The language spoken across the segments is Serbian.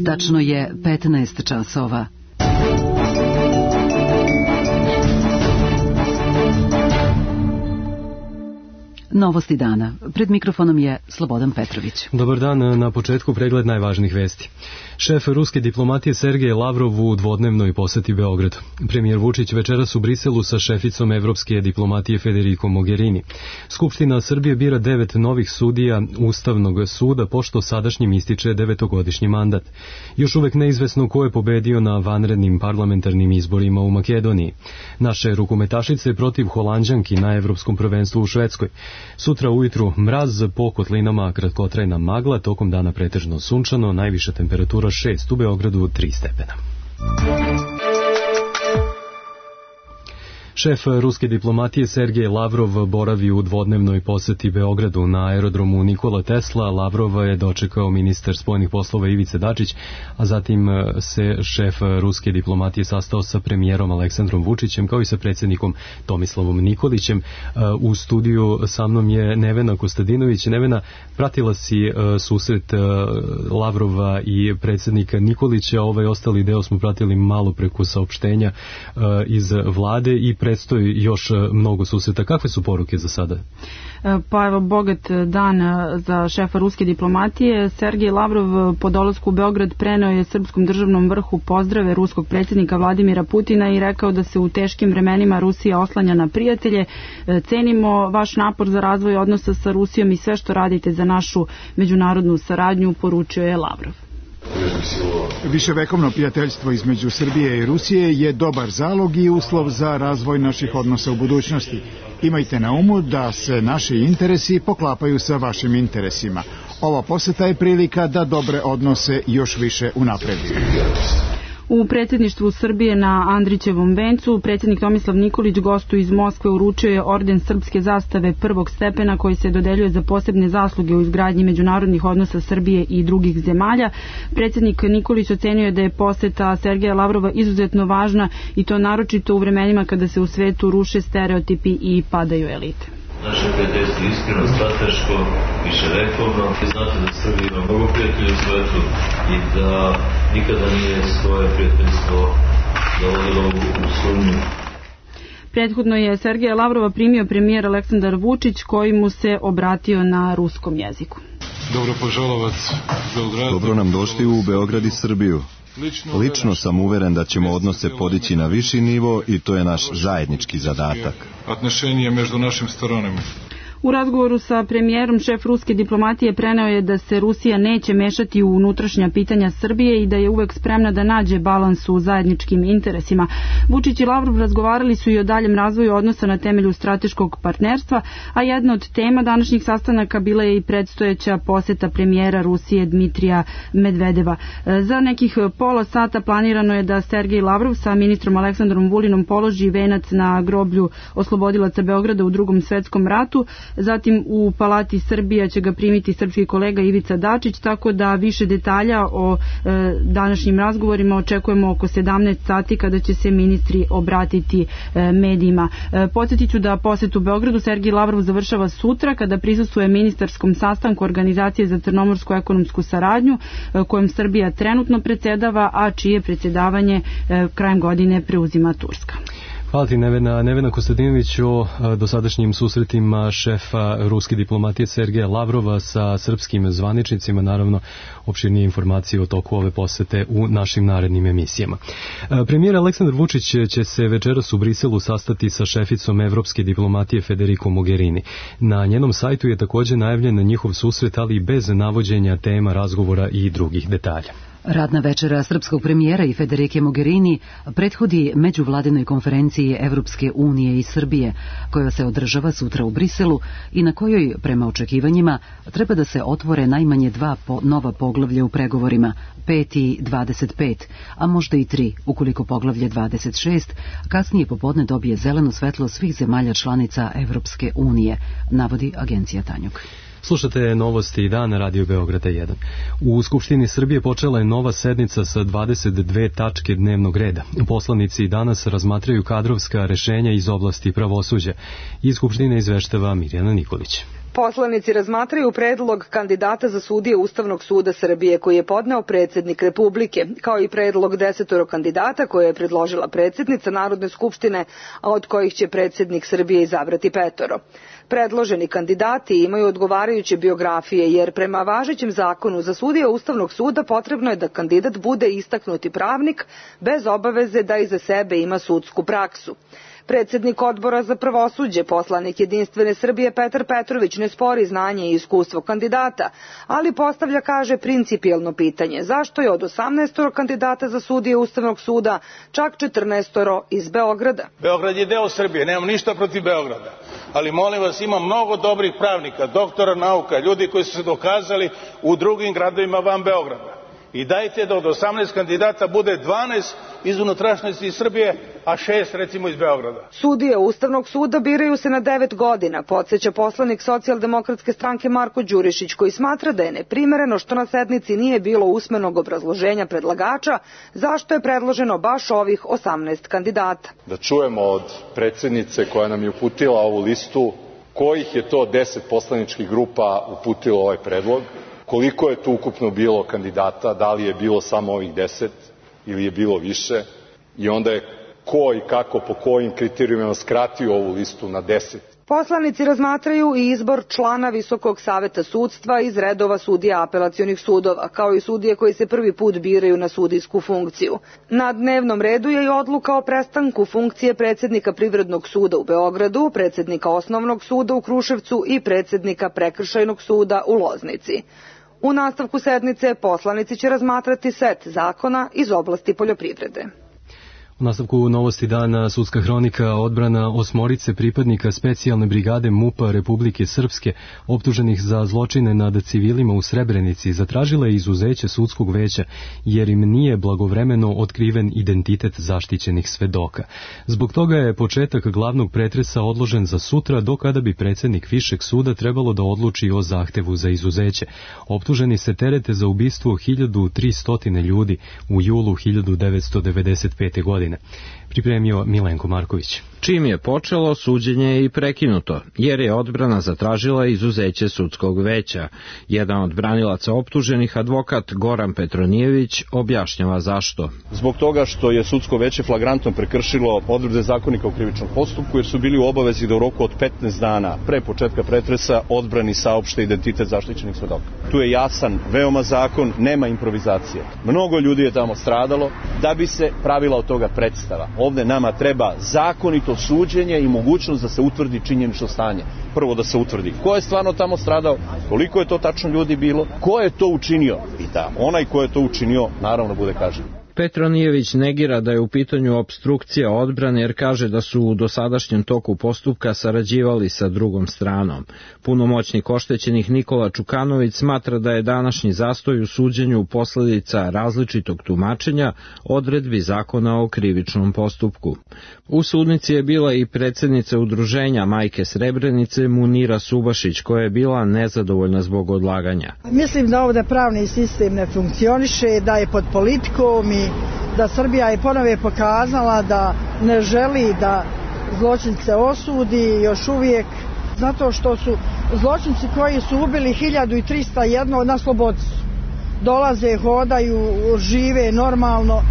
Tačno je 15 časova. Novosti dana. Pred mikrofonom je Slobodan Petrović. Dobar dan, na početku pregled najvažnijih vesti. Šef ruske diplomatije Sergej Lavrov u dvodnevnoj poseti Beogradu. Premijer Vučić večeras u Briselu sa šeficom evropske diplomatije Federico Mogherini. Skupština Srbije bira 9 novih sudija Ustavnog suda, pošto sadašnjim ističe 9-godišnji mandat. Još uvek neizvesno ko je pobedio na vanrednim parlamentarnim izborima u Makedoniji. Naše rukometašice protiv Holanđanki na evropskom prvenstvu u Švedskoj. Sutra ujutru mraz, po kotlinama kratkotrajna magla, tokom dana pretežno sunčano, najviša temperatura 6, u Beogradu 3 stepena. Šef ruske diplomatije Sergej Lavrov boravi u dvodnevnoj poseti Beogradu. Na aerodromu Nikola Tesla Lavrova je dočekao ministar spoljnih poslova Ivica Dačić, a zatim se šef ruske diplomatije sastao sa premijerom Aleksandrom Vučićem kao i sa predsjednikom Tomislavom Nikolićem. U studiju sa mnom je Nevena Kostadinović. Nevena, pratila si susret Lavrova i predsjednika Nikolića, ovaj ostali deo smo pratili malo preko saopštenja iz vlade i predstoji još mnogo susreta. Kakve su poruke za sada? Pa evo, bogat dan za šefa ruske diplomatije. Sergej Lavrov po dolasku u Beograd preneo je srpskom državnom vrhu pozdrave ruskog predsjednika Vladimira Putina i rekao da se u teškim vremenima Rusija oslanja na prijatelje. Cenimo vaš napor za razvoj odnosa sa Rusijom i sve što radite za našu međunarodnu saradnju, poručio je Lavrov. Viševekovno prijateljstvo između Srbije i Rusije je dobar zalog i uslov za razvoj naših odnosa u budućnosti. Imajte na umu da se naši interesi poklapaju sa vašim interesima. Ova poseta je prilika da dobre odnose još više unapredimo. U predsjedništvu Srbije na Andrićevom vencu predsjednik Tomislav Nikolić gostu iz Moskve uručio je orden srpske zastave prvog stepena koji se dodeljuje za posebne zasluge u izgradnji međunarodnih odnosa Srbije i drugih zemalja. Predsjednik Nikolić ocenio je da je poseta Sergeja Lavrova izuzetno važna i to naročito u vremenima kada se u svetu ruše stereotipi i padaju elite. Naše prijateljstvo je iskreno, strateško, viševekovno. Znate da Srbija ima mnogo prijatelja u svetu i da nikada nije svoje prijateljstvo dovodilo u sumnju. Prethodno je Sergeja Lavrova primio premijer Aleksandar Vučić koji mu se obratio na ruskom jeziku. Dobro nam došli u Beograd i Srbiju. Lično sam uveren da ćemo odnose podići na viši nivo i to je naš zajednički zadatak. U razgovoru sa premijerom šef ruske diplomatije preneo je da se Rusija neće mešati u unutrašnja pitanja Srbije i da je uvek spremna da nađe balans u zajedničkim interesima. Vučić i Lavrov razgovarali su i o daljem razvoju odnosa na temelju strateškog partnerstva, a jedna od tema današnjih sastanaka bila je i predstojeća poseta premijera Rusije Dmitrija Medvedeva. Za nekih pola sata planirano je da Sergej Lavrov sa ministrom Aleksandrom Vulinom položi venac na groblju oslobodilaca Beograda u Drugom svetskom ratu. Zatim u Palati Srbija će ga primiti srpski kolega Ivica Dačić, tako da više detalja o današnjim razgovorima očekujemo oko 17 sati kada će se ministri obratiti medijima. Podsjetit ću da posetu Beogradu Sergej Lavrov završava sutra kada prisustvuje ministarskom sastanku Organizacije za crnomorsku ekonomsku saradnju kojom Srbija trenutno predsjedava, a čije predsjedavanje krajem godine preuzima Turska. Hvala ti, Nevena Kostadinović, o dosadašnjim susretima šefa ruske diplomatije Sergeja Lavrova sa srpskim zvaničnicima, naravno opširnije informacije o toku ove posete u našim narednim emisijama. Premijer Aleksandar Vučić će se večeras u Briselu sastati sa šeficom evropske diplomatije Federico Mogherini. Na njenom sajtu je također najavljen njihov susret, ali bez navođenja tema razgovora i drugih detalja. Radna večera srpskog premijera i Federike Mogherini prethodi međuvladinoj konferenciji Evropske unije i Srbije, koja se održava sutra u Briselu i na kojoj, prema očekivanjima, treba da se otvore najmanje 2 nova poglavlja u pregovorima, 5 i 25, a možda i 3, ukoliko poglavlje 26 kasnije popodne dobije zeleno svetlo svih zemalja članica Evropske unije, navodi agencija Tanjug. Slušate novosti dana Radio Beograda 1. U Skupštini Srbije počela je nova sednica sa 22 tačke dnevnog reda. Poslanici danas razmatraju kadrovska rešenja iz oblasti pravosuđa. Iz Skupštine izveštava Mirjana Nikolić. Poslanici razmatraju predlog kandidata za sudije Ustavnog suda Srbije koji je podneo predsjednik Republike, kao i predlog 10 kandidata koje je predložila predsjednica Narodne skupštine, a od kojih će predsjednik Srbije izabrati 5. Predloženi kandidati imaju odgovarajuće biografije, jer prema važećem zakonu za sudije Ustavnog suda potrebno je da kandidat bude istaknuti pravnik bez obaveze da iza sebe ima sudsku praksu. Predsjednik Odbora za pravosuđe, poslanik Jedinstvene Srbije Petar Petrović ne spori znanje i iskustvo kandidata, ali postavlja, kaže, principijelno pitanje zašto je od 18 kandidata za sudije Ustavnog suda čak 14 iz Beograda. Beograd je deo Srbije, nemam ništa protiv Beograda, ali molim vas, ima mnogo dobrih pravnika, doktora nauka, ljudi koji su se dokazali u drugim gradovima van Beograda. I dajte da od 18 kandidata bude 12 iz unutrašnjosti Srbije, a 6 recimo iz Beograda. Sudije Ustavnog suda biraju se na 9 godina, podsjeća poslanik Socijaldemokratske stranke Marko Đurišić, koji smatra da je neprimereno što na sednici nije bilo usmenog obrazloženja predlagača zašto je predloženo baš ovih 18 kandidata. Da čujemo od predsjednice koja nam je uputila ovu listu kojih je to 10 poslaničkih grupa uputilo ovaj predlog, koliko je tu ukupno bilo kandidata, da li je bilo samo ovih 10 ili je bilo više, i onda je ko i kako po kojim kriterijumima skratio ovu listu na 10. Poslanici razmatraju i izbor člana Visokog saveta sudstva iz redova sudija apelacionih sudova, kao i sudije koji se prvi put biraju na sudijsku funkciju. Na dnevnom redu je i odluka o prestanku funkcije predsjednika Privrednog suda u Beogradu, predsjednika Osnovnog suda u Kruševcu i predsjednika Prekršajnog suda u Loznici. U nastavku sednice poslanici će razmatrati set zakona iz oblasti poljoprivrede. U nastavku novosti dana Sudska hronika, odbrana 8 pripadnika specijalne brigade MUP-a Republike Srpske optuženih za zločine nad civilima u Srebrenici zatražila je izuzeće sudskog veća jer im nije blagovremeno otkriven identitet zaštićenih svedoka. Zbog toga je početak glavnog pretresa odložen za sutra, do kada bi predsjednik Višeg suda trebalo da odluči o zahtevu za izuzeće. Optuženi se terete za ubistvo 1300 ljudi u julu 1995. godine. Pripremio Milenko Marković. Čim je počelo, suđenje je i prekinuto, jer je odbrana zatražila izuzeće sudskog veća. Jedan od branilaca optuženih, advokat Goran Petronijević, objašnjava zašto. Zbog toga što je sudsko veće flagrantno prekršilo odredbe zakonika o krivičnom postupku, jer su bili u obavezi da u roku od 15 dana pre početka pretresa odbrani saopšte identitet zaštićenih svedoka. Tu je jasan, veoma zakon, nema improvizacije. Mnogo ljudi je tamo stradalo da bi se pravila od toga predstava. Ovde nama treba zakonito suđenje i mogućnost da se utvrdi činjenično stanje. Prvo da se utvrdi ko je stvarno tamo stradao, koliko je to tačno ljudi bilo, ko je to učinio i da onaj ko je to učinio naravno bude kažnjen. Petronijević negira da je u pitanju opstrukcija odbrane jer kaže da su u dosadašnjem toku postupka sarađivali sa drugom stranom. Punomoćnik oštećenih Nikola Čukanović smatra da je današnji zastoj u suđenju posledica različitog tumačenja odredbi zakona o krivičnom postupku. U sudnici je bila i predsjednica udruženja Majke Srebrenice Munira Subašić, koja je bila nezadovoljna zbog odlaganja. Mislim da ovdje pravni sistem ne funkcioniše, da je pod politikom i da Srbija je ponovo pokazala da ne želi da zločince osudi još uvijek, zato što su zločinci koji su ubili 1301 na slobodi su. Dolaze, hodaju, žive normalno,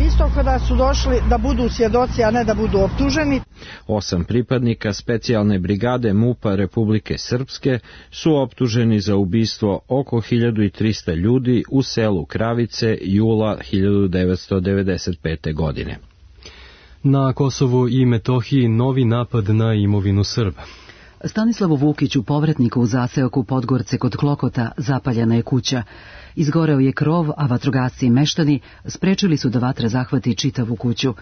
isto kada su došli da budu svjedoci, a ne da budu optuženi. 8 pripadnika specijalne brigade MUP-a Republike Srpske su optuženi za ubistvo oko 1300 ljudi u selu Kravice jula 1995. godine. Na Kosovu i Metohiji novi napad na imovinu Srba. Stanislavu Vukiću, povratniku u zaseoku Podgorce kod Klokota, zapaljena je kuća. Izgoreo je krov, a vatrogasci i meštani sprečili su da vatra zahvati čitavu kuću.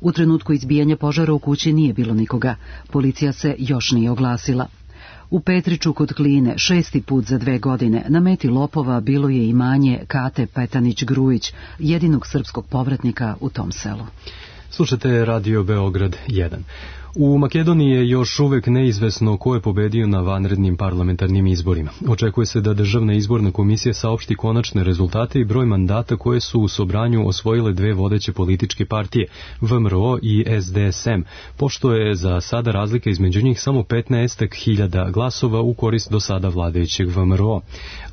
U trenutku izbijanja požara u kući nije bilo nikoga. Policija se još nije oglasila. U Petriču kod Kline 6. put za 2 godine na meti lopova bilo je imanje Kate Petanić-Grujić, jedinog srpskog povratnika u tom selu. Slušate Radio Beograd 1. U Makedoniji je još uvek neizvesno ko je pobedio na vanrednim parlamentarnim izborima. Očekuje se da Državna izborna komisija saopšti konačne rezultate i broj mandata koje su u Sobranju osvojile dve vodeće političke partije, VMRO i SDSM, pošto je za sada razlika između njih samo 15.000 glasova u korist do sada vladajućeg VMRO.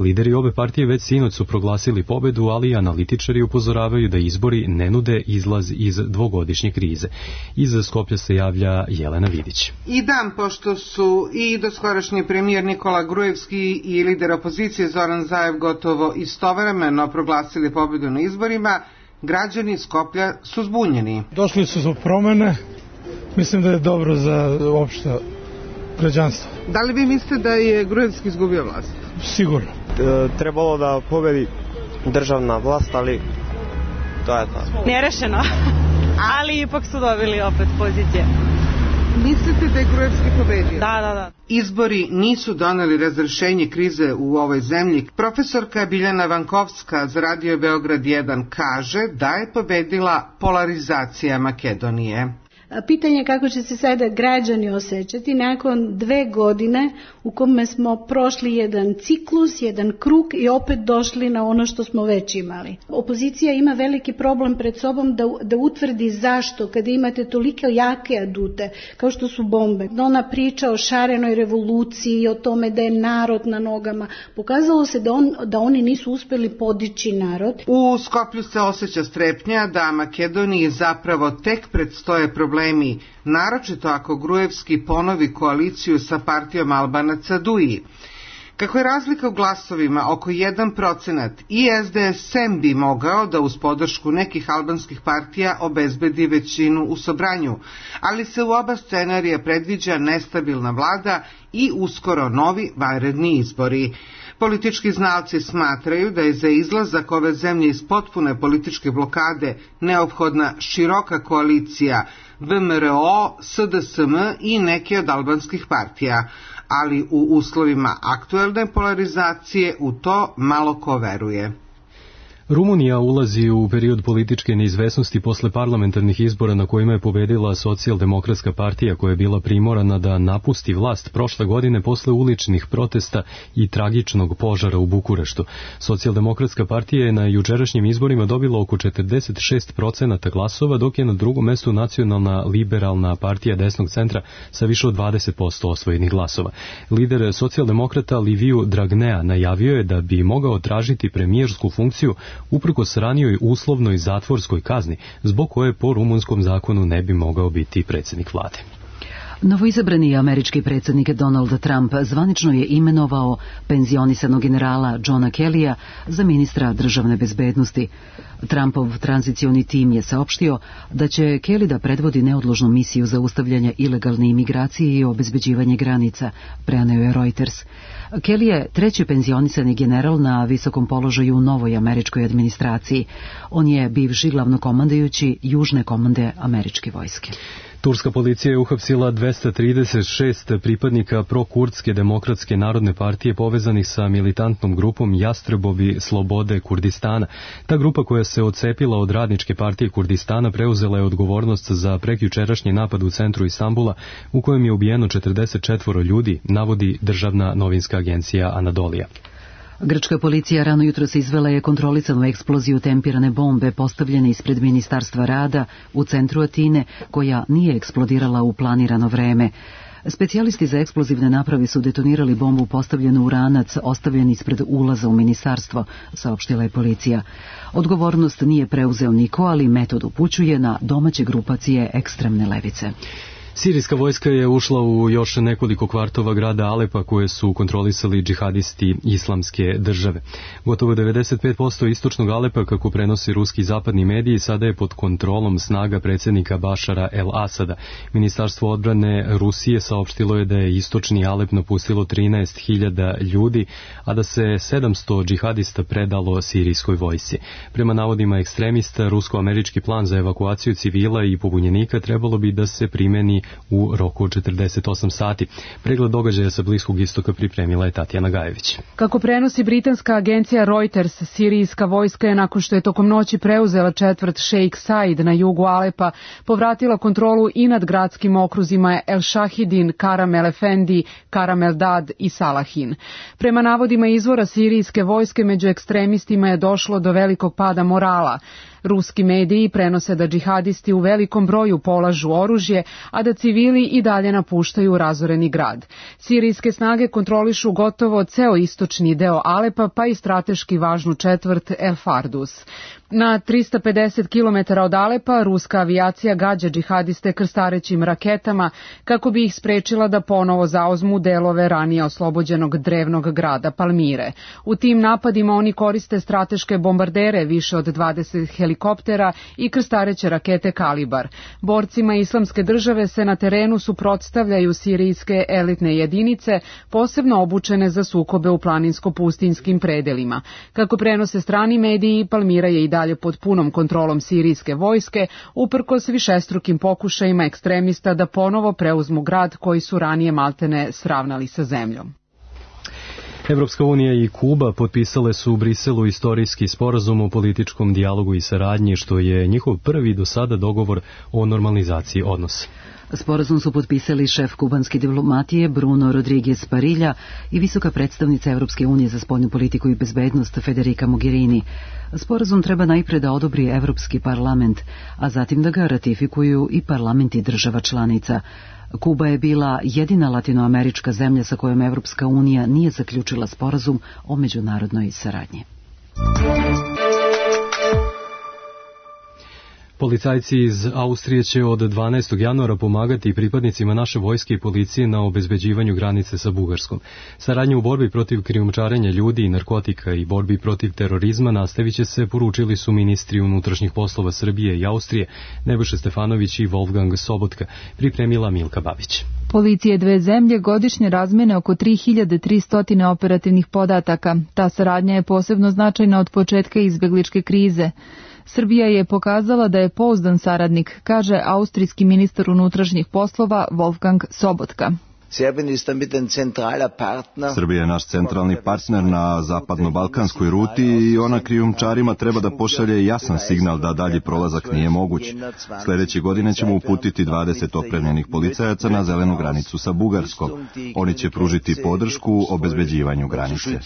Lideri obe partije već sinoć su proglasili pobedu, ali analitičari upozoravaju da izbori ne nude izlaz iz dvogodišnje krize. Iz Skoplja se javlja Jelena Vidić. I dan pošto su i doskorašnji premijer Nikola Grujevski i lider opozicije Zoran Zaev gotovo istovremeno proglasili pobedu na izborima, građani Skoplja su zbunjeni. Došli su zbog promene, mislim da je dobro za opšte građanstvo. Da li vi mislite da je Grujevski izgubio vlast? Sigurno. Trebalo da pobedi državna vlast, ali to je to. Nerešeno, ali ipak su dobili opet pozicije. Mislite da je Grujevski pobedio? Da. Izbori nisu doneli razrešenje krize u ovoj zemlji. Profesorka Biljana Vankovska za Radio Beograd 1 kaže da je pobedila polarizacija Makedonije. Pitanje je kako će se sada građani osjećati nakon 2 godine u kome smo prošli jedan ciklus, jedan krug i opet došli na ono što smo već imali. Opozicija ima veliki problem pred sobom da utvrdi zašto kada imate toliko jake adute kao što su bombe. Ona priča o šarenoj revoluciji i o tome da je narod na nogama. Pokazalo se da oni nisu uspjeli podići narod. U Skoplju se osjeća strepnja da Makedoniji zapravo tek predstoje problemi, naročito ako Grujevski ponovi koaliciju sa partijom Albanaca Duji. Kako je razlika u glasovima oko 1%, i SDSM bi mogao da uz podršku nekih albanskih partija obezbedi većinu u Sobranju, ali se u oba scenarija predviđa nestabilna vlada i uskoro novi vanredni izbori. Politički znalci smatraju da je za izlazak ove zemlje iz potpune političke blokade neophodna široka koalicija VMRO, SDSM i neke od albanskih partija, ali u uslovima aktuelne polarizacije u to malo ko veruje. Rumunija ulazi u period političke neizvesnosti posle parlamentarnih izbora na kojima je pobedila Socijaldemokratska partija koja je bila primorana da napusti vlast prošle godine posle uličnih protesta i tragičnog požara u Bukureštu. Socijaldemokratska partija je na jučerašnjim izborima dobila oko 46% glasova, dok je na drugom mestu Nacionalna liberalna partija desnog centra sa više od 20% osvojenih glasova. Lider socijaldemokrata Liviju Dragnea najavio je da bi mogao tražiti premijersku funkciju uprkos ranijoj uslovnoj zatvorskoj kazni, zbog koje po rumunskom zakonu ne bi mogao biti predsjednik vlade. Novoizabrani američki predsjednik Donald Trump zvanično je imenovao penzionisanog generala Johna Kellya za ministra državne bezbednosti. Trumpov tranzicioni tim je saopštio da će Kelly da predvodi neodložnu misiju zaustavljanja ilegalne imigracije i obezbeđivanje granica, preneo je Reuters. Kelly je treći penzionisani general na visokom položaju u novoj američkoj administraciji. On je bivši glavnokomandajući južne komande američke vojske. Turska policija je uhapsila 236 pripadnika prokurdske demokratske narodne partije povezanih sa militantnom grupom Jastrebovi slobode Kurdistana. Ta grupa koja se odcepila od radničke partije Kurdistana preuzela je odgovornost za prekjučerašnji napad u centru Istambula u kojem je ubijeno 44 ljudi, navodi državna novinska agencija Anadolija. Grčka policija rano jutros izvela je kontrolisanu eksploziju tempirane bombe postavljene ispred Ministarstva rada u centru Atine, koja nije eksplodirala u planirano vreme. Specijalisti za eksplozivne naprave su detonirali bombu postavljenu u ranac ostavljen ispred ulaza u ministarstvo, saopštila je policija. Odgovornost nije preuzeo niko, ali metod upućuje na domaće grupacije ekstremne levice. Sirijska vojska je ušla u još nekoliko kvartova grada Alepa koje su kontrolisali džihadisti islamske države. Gotovo 95% istočnog Alepa, kako prenosi ruski zapadni mediji, sada je pod kontrolom snaga predsjednika Bašara el-Asada. Ministarstvo odbrane Rusije saopštilo je da je istočni Alep napustilo 13.000 ljudi, a da se 700 džihadista predalo sirijskoj vojsci. Prema navodima ekstremista, rusko-američki plan za evakuaciju civila i pobunjenika trebalo bi da se primeni u roku od 48 sati. Pregled događaja sa Bliskog istoka pripremila je Tatjana Gajević. Kako prenosi britanska agencija Reuters, sirijska vojska je nakon što je tokom noći preuzela četvrt Sheikh Said na jugu Alepa povratila kontrolu i nad gradskim okruzima El Shahidin, Karam el Efendi, Karam el Dad i Salahin. Prema navodima izvora sirijske vojske, među ekstremistima je došlo do velikog pada morala. Ruski mediji prenose da džihadisti u velikom broju polažu oružje, a da civili i dalje napuštaju razoreni grad. Sirijske snage kontrolišu gotovo ceo istočni deo Alepa, pa i strateški važnu četvrt El Fardus. Na 350 km od Alepa ruska avijacija gađa džihadiste krstarećim raketama kako bi ih sprečila da ponovo zauzmu delove ranije oslobođenog drevnog grada Palmire. U tim napadima oni koriste strateške bombardere, više od 20 helikoptera i krstareće rakete Kalibar. Borcima Islamske države se na terenu suprotstavljaju sirijske elitne jedinice, posebno obučene za sukobe u planinsko-pustinjskim predelima. Kako prenose strani mediji, Palmira je i dalje pod punom kontrolom sirijske vojske, uprkos višestrukim pokušajima ekstremista da ponovo preuzmu grad koji su ranije maltene sravnali sa zemljom. Evropska unija i Kuba potpisale su u Briselu istorijski sporazum o političkom dijalogu i saradnji, što je njihov prvi do sada dogovor o normalizaciji odnosa. Sporazum su potpisali šef kubanske diplomatije Bruno Rodriguez Parilla i visoka predstavnica Evropske unije za spoljnu politiku i bezbednost Federica Mogherini. Sporazum treba najpre da odobri Evropski parlament, a zatim da ga ratifikuju i parlamenti država članica. Kuba je bila jedina latinoamerička zemlja sa kojom Evropska unija nije zaključila sporazum o međunarodnoj saradnji. Policajci iz Austrije će od 12. januara pomagati pripadnicima naše vojske i policije na obezbeđivanju granice sa Bugarskom. Saradnja u borbi protiv krijumčarenja ljudi i narkotika i borbi protiv terorizma nastavit će se, poručili su ministri unutrašnjih poslova Srbije i Austrije Nebojša Stefanović i Wolfgang Sobotka, pripremila Milka Babić. Policije dve zemlje godišnje razmene oko 3300 operativnih podataka. Ta saradnja je posebno značajna od početka izbegličke krize. Srbija je pokazala da je pouzdan saradnik, kaže austrijski ministar unutrašnjih poslova Wolfgang Sobotka. Srbija je naš centralni partner na zapadno-balkanskoj ruti i ona krijumčarima treba da pošalje jasan signal da dalji prolazak nije moguć. Sljedeće godine ćemo uputiti 20 opremljenih policajaca na zelenu granicu sa Bugarskom. Oni će pružiti podršku obezbeđivanju granice.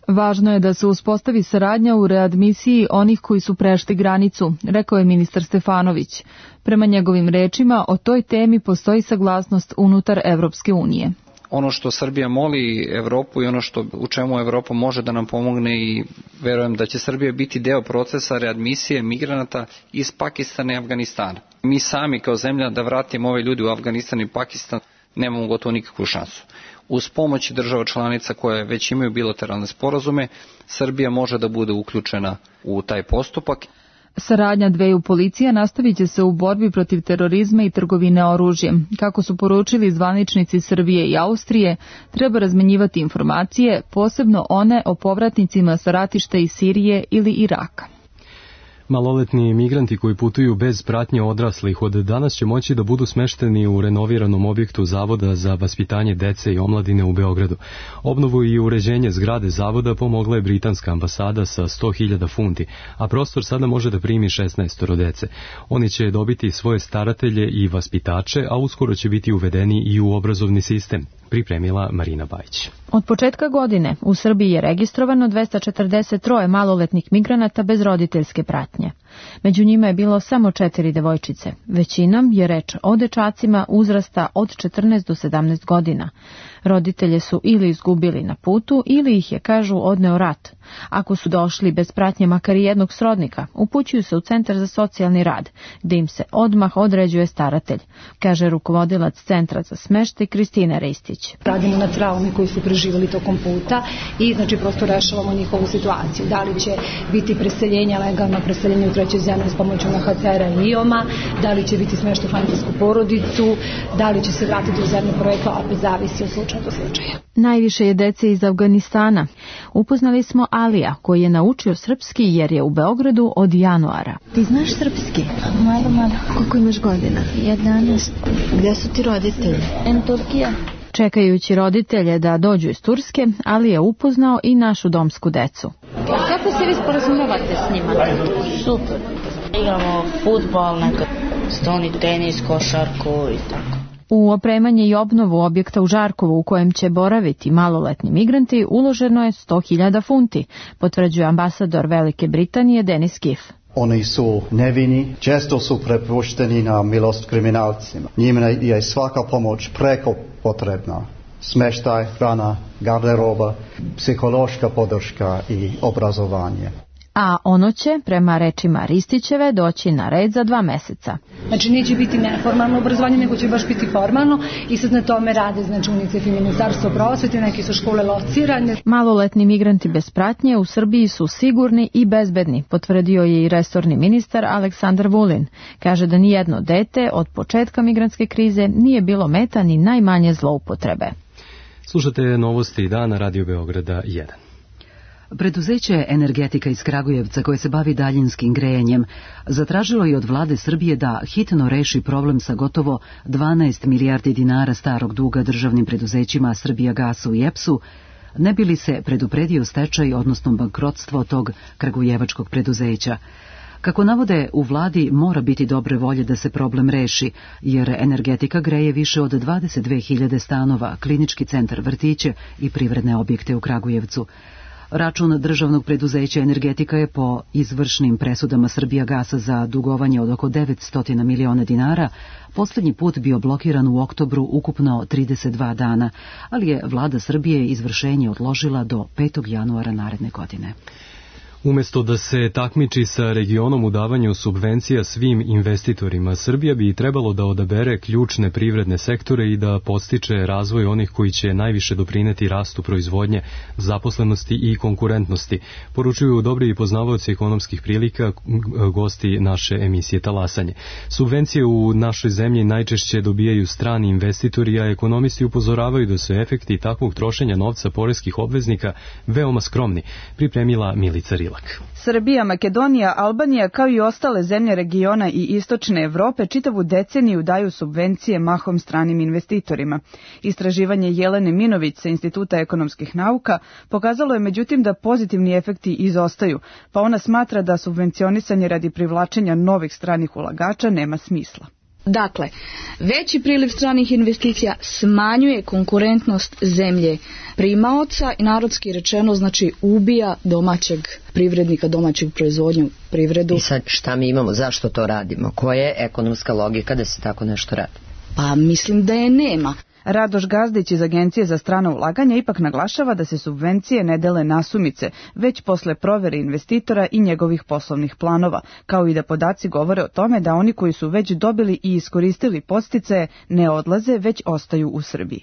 Važno je da se uspostavi saradnja u readmisiji onih koji su prešli granicu, rekao je ministar Stefanović. Prema njegovim rečima, o toj temi postoji saglasnost unutar Evropske unije. Ono što Srbija moli Evropu i ono u čemu Evropa može da nam pomogne, i verujem da će Srbija biti deo procesa readmisije migranata iz Pakistana i Afganistana. Mi sami kao zemlja da vratimo ove ljudi u Afganistan i Pakistan nemamo gotovo nikakvu šansu. Uz pomoć država članica koje već imaju bilateralne sporazume, Srbija može da bude uključena u taj postupak. Saradnja dveju policija nastavit će se u borbi protiv terorizma i trgovine oružjem. Kako su poručili zvaničnici Srbije i Austrije, treba razmenjivati informacije, posebno one o povratnicima sa ratišta iz Sirije ili Iraka. Maloletni migranti koji putuju bez pratnje odraslih od danas će moći da budu smešteni u renoviranom objektu Zavoda za vaspitanje dece i omladine u Beogradu. Obnovu i uređenje zgrade Zavoda pomogla je britanska ambasada sa 100.000 funti, a prostor sada može da primi 16 dece. Oni će dobiti svoje staratelje i vaspitače, a uskoro će biti uvedeni i u obrazovni sistem, pripremila Marina Bajić. Od početka godine u Srbiji je registrovano 243 maloletnih migranata bez roditeljske pratnje. Među njima je bilo samo 4 devojčice. Većinom je reč o dečacima uzrasta od 14 do 17 godina. Roditelje su ili izgubili na putu ili ih je, kažu, odneo rat. Ako su došli bez pratnje makar i jednog srodnika, upućuju se u Centar za socijalni rad, gde im se odmah određuje staratelj, kaže rukovodilac Centra za smeštaj Kristina Ristić. Radimo na traumi koji su preživali tokom puta i prosto rešavamo njihovu situaciju. Da li će biti preseljenja, legalno preseljenje u trećoj zemlji s pomoću UNHCR-a i IOM-a, da li će biti smeštaj u hraniteljsku porodicu, da li će se vratiti u zemlju projekta, opet zavisi od slučaja slučaja do slučaja. Najviše je dece iz Afganistana. Upoznali smo Alija, koji je naučio srpski jer je u Beogradu od januara. Ti znaš srpski? Malo. Koliko imaš godina? 11. Gde su ti roditelji? Turkija. Čekajući roditelje da dođu iz Turske, Ali je upoznao i našu domsku decu. Kako se vi sporazumevate s njima? Super. Igramo fudbal, nekad stoni tenis, košarku i tako. U opremanje i obnovu objekta u Žarkovu u kojem će boraviti maloletni migranti uloženo je 100.000 funti, potvrđuje ambasador Velike Britanije Denis Kiff. Oni su nevini, često su prepušteni na milost kriminalcima. Njima je svaka pomoć preko potrebna. Smeštaj, hrana, garderoba, psihološka podrška i obrazovanje. A ono će, prema rečima Ristićeve, doći na red za 2 meseca. Znači neće biti neformalno obrazovanje, nego će baš biti formalno i sad na tome rade, znači UNICEF i Ministarstvo prosvete, neke su škole locirane. Maloletni migranti bez pratnje u Srbiji su sigurni i bezbedni, potvrdio je i resorni ministar Aleksandar Vulin. Kaže da nijedno dete od početka migrantske krize nije bilo meta ni najmanje zloupotrebe. Slušate novosti dana Radio Beograda 1. Preduzeće Energetika iz Kragujevca, koje se bavi daljinskim grejanjem, zatražilo je od vlade Srbije da hitno reši problem sa gotovo 12 milijardi dinara starog duga državnim preduzećima Srbijagasu i EPS-u, ne bi li se predupredio stečaj, odnosno bankrotstvo tog kragujevačkog preduzeća. Kako navode, u vladi mora biti dobre volje da se problem reši, jer Energetika greje više od 22.000 stanova, klinički centar, vrtiće i privredne objekte u Kragujevcu. Račun državnog preduzeća Energetika je po izvršnim presudama Srbijagasa za dugovanje od oko 900 miliona dinara posljednji put bio blokiran u oktobru ukupno 32 dana, ali je vlada Srbije izvršenje odložila do 5. januara naredne godine. Umjesto da se takmiči sa regionom u davanju subvencija svim investitorima, Srbija bi trebalo da odabere ključne privredne sektore i da podstiče razvoj onih koji će najviše doprineti rastu proizvodnje, zaposlenosti i konkurentnosti, poručuju dobri poznavaoci ekonomskih prilika, gosti naše emisije Talasanje. Subvencije u našoj zemlji najčešće dobijaju strani investitori, a ekonomisti upozoravaju da su efekti takvog trošenja novca poreskih obveznika veoma skromni, pripremila Milica Rilak. Srbija, Makedonija, Albanija kao i ostale zemlje regiona i istočne Evrope čitavu deceniju daju subvencije mahom stranim investitorima. Istraživanje Jelene Minović sa Instituta ekonomskih nauka pokazalo je međutim da pozitivni efekti izostaju, pa ona smatra da subvencionisanje radi privlačenja novih stranih ulagača nema smisla. Dakle, veći priliv stranih investicija smanjuje konkurentnost zemlje primaoca i narodski rečeno znači ubija domaćeg privrednika, domaćeg proizvodnju, privredu. I sad šta mi imamo, zašto to radimo? Koja je ekonomska logika da se tako nešto radi? Pa mislim da je nema. Radoš Gazdić iz Agencije za strana ulaganja ipak naglašava da se subvencije ne dele nasumice, već posle provere investitora i njegovih poslovnih planova, kao i da podaci govore o tome da oni koji su već dobili i iskoristili podsticaje ne odlaze, već ostaju u Srbiji.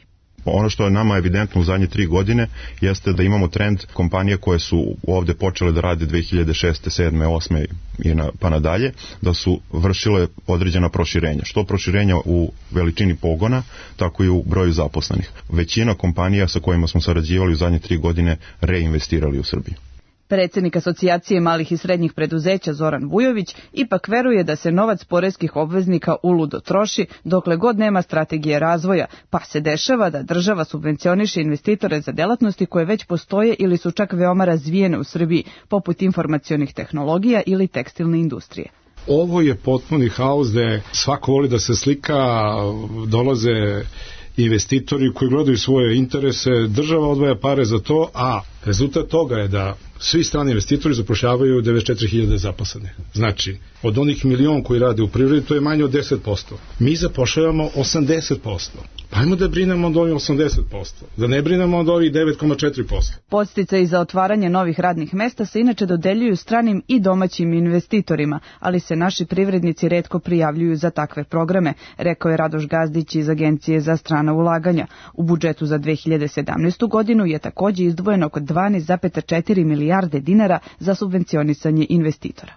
Ono što je nama evidentno u zadnje 3 godine jeste da imamo trend kompanije koje su ovde počele da rade 2006. 7. 8. i pa nadalje, da su vršile određena proširenja. Što proširenja u veličini pogona, tako i u broju zaposlenih. Većina kompanija sa kojima smo sarađivali u zadnje 3 godine reinvestirali u Srbiji. Predsjednik Asocijacije malih i srednjih preduzeća Zoran Vujović ipak veruje da se novac poreskih obveznika uludo troši dokle god nema strategije razvoja, pa se dešava da država subvencioniše investitore za delatnosti koje već postoje ili su čak veoma razvijene u Srbiji, poput informacionih tehnologija ili tekstilne industrije. Ovo je potpuni haos gde svako voli da se slika, dolaze investitori koji gledaju svoje interese, država odvaja pare za to, a rezultat toga je da svi strani investitori zapošljavaju 94.000 zaposlenih. Znači, od onih milion koji rade u privredi, to je manje od 10%. Mi zapošljavamo 80%. Pa ajmo da brinemo od ovih 80%, da ne brinemo od ovih 9,4%. Podsticaji za otvaranje novih radnih mesta se inače dodeljuju stranim i domaćim investitorima, ali se naši privrednici retko prijavljuju za takve programe, rekao je Radoš Gazdić iz Agencije za strana ulaganja. U budžetu za 2017. godinu je takođe izdvojeno oko 12,4 milijarde dinara za subvencionisanje investitora.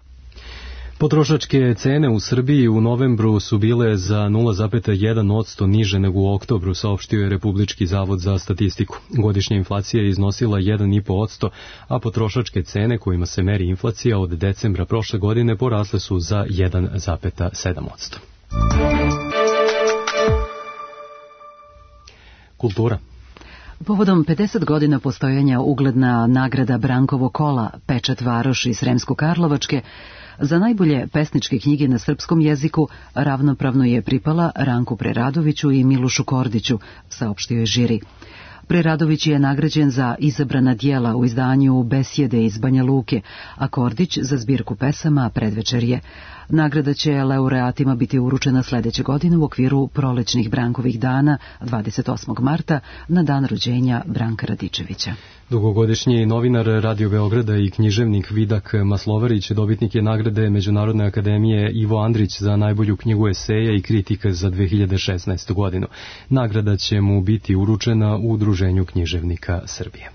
Potrošačke cene u Srbiji u novembru su bile za 0,1% niže nego u oktobru, saopštio je Republički zavod za statistiku. Godišnja inflacija je iznosila 1,5%, a potrošačke cene kojima se meri inflacija od decembra prošle godine porasle su za 1,7%. Kultura. Povodom 50 godina postojanja ugledna nagrada Brankovo kola, Pečat Varoši Sremsko-Karlovačke, za najbolje pesničke knjige na srpskom jeziku ravnopravno je pripala Ranku Preradoviću i Milušu Kordiću, saopštio je žiri. Preradović je nagrađen za izabrana dijela u izdanju Besjede iz Banja Luke, a Kordić za zbirku pesama Predvečerje. Nagrada će laureatima biti uručena sledeće godine u okviru prolećnih Brankovih dana 28. marta na dan rođenja Branka Radičevića. Dugogodišnji novinar Radio Beograda i književnik Vidak Maslovarić dobitnik je nagrade Međunarodne akademije Ivo Andrić za najbolju knjigu eseja i kritika za 2016. godinu. Nagrada će mu biti uručena u Udruženju književnika Srbije.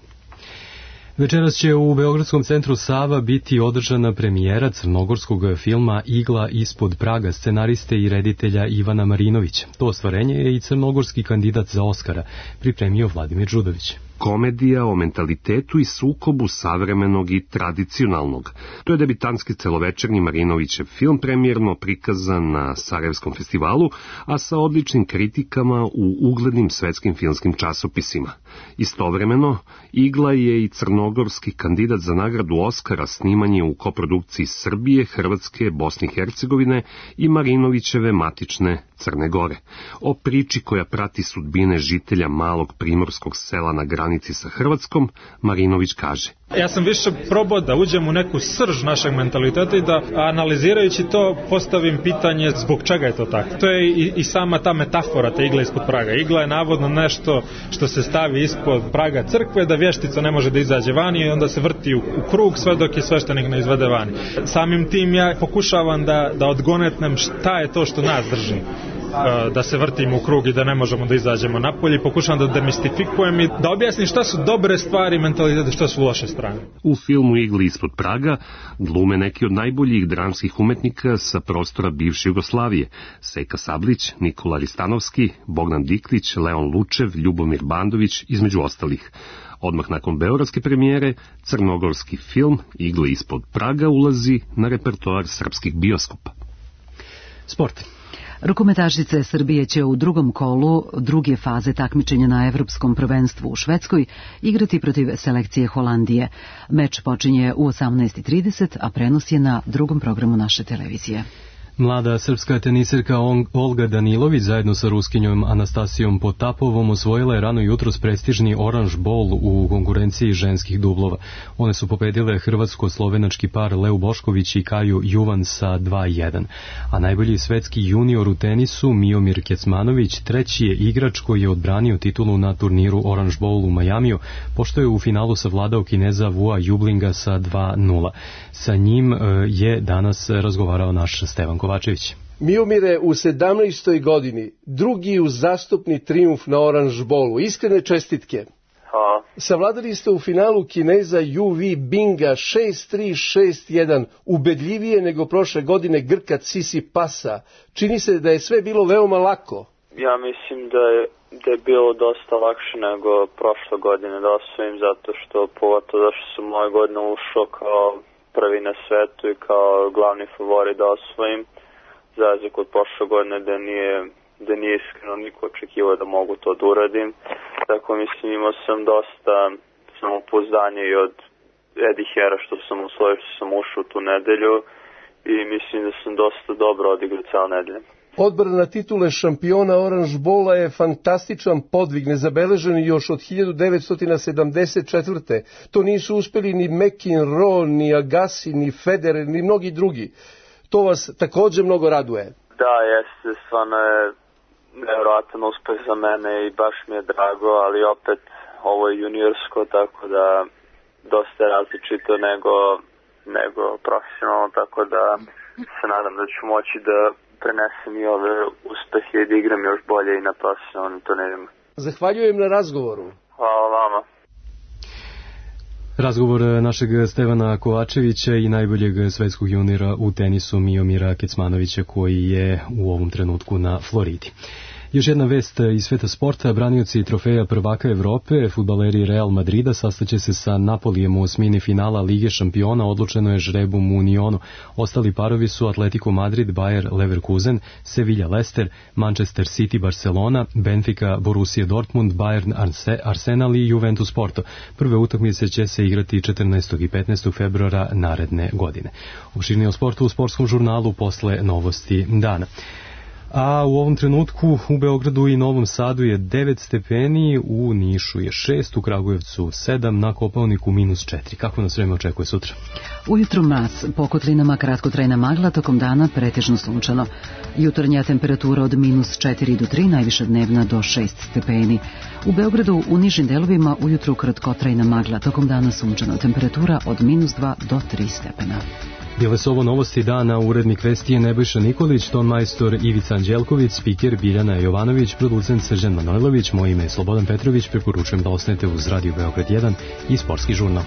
Večeras će u Beogradskom centru Sava biti održana premijera crnogorskog filma Igla ispod praga scenariste i reditelja Ivana Marinovića. To ostvarenje je i crnogorski kandidat za Oskara pripremio Vladimir Đudović. Komedija o mentalitetu i sukobu savremenog i tradicionalnog. To je debitanski celovečernji Marinovićev film, premijerno prikazan na Sarajevskom festivalu, a sa odličnim kritikama u uglednim svetskim filmskim časopisima. Istovremeno, Igla je i crnogorski kandidat za nagradu Oskara, snimanje u koprodukciji Srbije, Hrvatske, Bosne i Hercegovine i Marinovićeve matične Crne Gore. O priči koja prati sudbine žitelja malog primorskog sela na granici sa Hrvatskom, Marinović kaže: Ja sam više probao da uđem u neku srž našeg mentaliteta i da analizirajući to postavim pitanje zbog čega je to tako. To je i sama ta metafora te igle ispod praga. Igla je navodno nešto što se stavi ispod praga crkve da vještica ne može da izađe vani i onda se vrti u krug sve dok je sveštenik ne izvede vani. Samim tim ja pokušavam da odgonetnem šta je to što nas drži da se vrtimo u krug i da ne možemo da izađemo napolje. Pokušavam da demistifikujem i da objasnim šta su dobre stvari mentaliteta, šta su loše strane. U filmu Igli ispod praga glume neki od najboljih dramskih umetnika sa prostora bivše Jugoslavije: Seka Sablić, Nikola Ristanovski, Bogdan Diklić, Leon Lučev, Ljubomir Bandović, između ostalih. Odmah nakon beogradske premijere, crnogorski film Igli ispod praga ulazi na repertoar srpskih bioskopa. Sport. Rukometašice Srbije će u drugom kolu druge faze takmičenja na Evropskom prvenstvu u Švedskoj igrati protiv selekcije Holandije. Meč počinje u 18:30, a prenos je na drugom programu naše televizije. Mlada srpska teniserka Olga Danilović zajedno sa Ruskinjom Anastasijom Potapovom osvojila je rano jutros prestižni Orange Bowl u konkurenciji ženskih dublova. One su pobedile hrvatsko-slovenački par Leu Bošković i Kaju Juvan sa 2:1. A najbolji svetski junior u tenisu Miomir Kecmanović treći je igrač koji je odbranio titulu na turniru Orange Bowl u Majamiju, pošto je u finalu savladao Kineza Vua Jublinga sa 2:0. Sa njim je danas razgovarao naš Stevan Kovačević. Miomire, u 17. godini drugi uzastopni trijumf na Orange Bowlu. Iskrene čestitke. Hvala. Savladali ste u finalu Kineza UV Binga 6-3, 6-1, ubedljivije nego prošle godine Grka Tsitsipasa. Čini se da je sve bilo veoma lako. Ja mislim da je bilo dosta lakše nego prošle godine da osvojim, zato što pogotovo da što sam moje godine ušao kao prvi na svetu i kao glavni favorit da osvojim, za razliku od prošle godine da nije iskreno niko očekivao da mogu to da uradim. Tako mislim imao sam dosta samopouzdanja i od Eddie Hera što sam uslovio što sam ušao tu nedelju i mislim da sam dosta dobro odigrao celu nedelju. Odbrana titule šampiona Orange Bowla je fantastičan podvig, nezabeležen još od 1974. To nisu uspeli ni McEnroe, ni Agassi, ni Federer, ni mnogi drugi. To vas također mnogo raduje. Da, jeste, stvarno je nevjerojatan uspeh za mene i baš mi je drago, ali opet ovo je juniorsko, tako da dosta je različito nego profesionalno, tako da se nadam da ću moći da prenesem i ove uspehe i da igram još bolje i na profesionalnim turnirima. Zahvaljujem na razgovoru. Hvala vama. Razgovor našeg Stevana Kovačevića i najboljeg svetskog juniora u tenisu Miomira Kecmanovića koji je u ovom trenutku na Floridi. Još jedna vest iz sveta sporta, branioci trofeja prvaka Evrope, fudbaleri Real Madrida sastaće se sa Napolijem u osmini finala Lige šampiona, odlučeno je žrebom u Unionu. Ostali parovi su Atletico Madrid, Bayer Leverkusen, Sevilla Leicester, Manchester City Barcelona, Benfica Borussia Dortmund, Bayern Arsenal i Juventus Porto. Prve utakmice će se igrati 14. i 15. februara naredne godine. Opširnije o sportu u sportskom žurnalu posle novosti dana. A u ovom trenutku u Beogradu i Novom Sadu je 9 stepeni, u Nišu je 6, u Kragujevcu 7, na Kopaoniku -4. Kako nas vreme očekuje sutra? Ujutru mraz, po kotlinama kratkotrajna magla, tokom dana pretežno sunčano. Jutarnja temperatura od -4 do 3, najviša dnevna do 6 stepeni. U Beogradu u nižim delovima ujutru kratkotrajna magla, tokom dana sunčano, temperatura od -2 do 3 stepena. Bile su ovo novosti dana, urednik vesti je Nebojša Nikolić, tonmajstor Ivica Anđelković, spiker Biljana Jovanović, producent Srđan Manojlović, moje ime je Slobodan Petrović, preporučujem da ostanete uz Radio Beograd 1 i Sportski žurnal.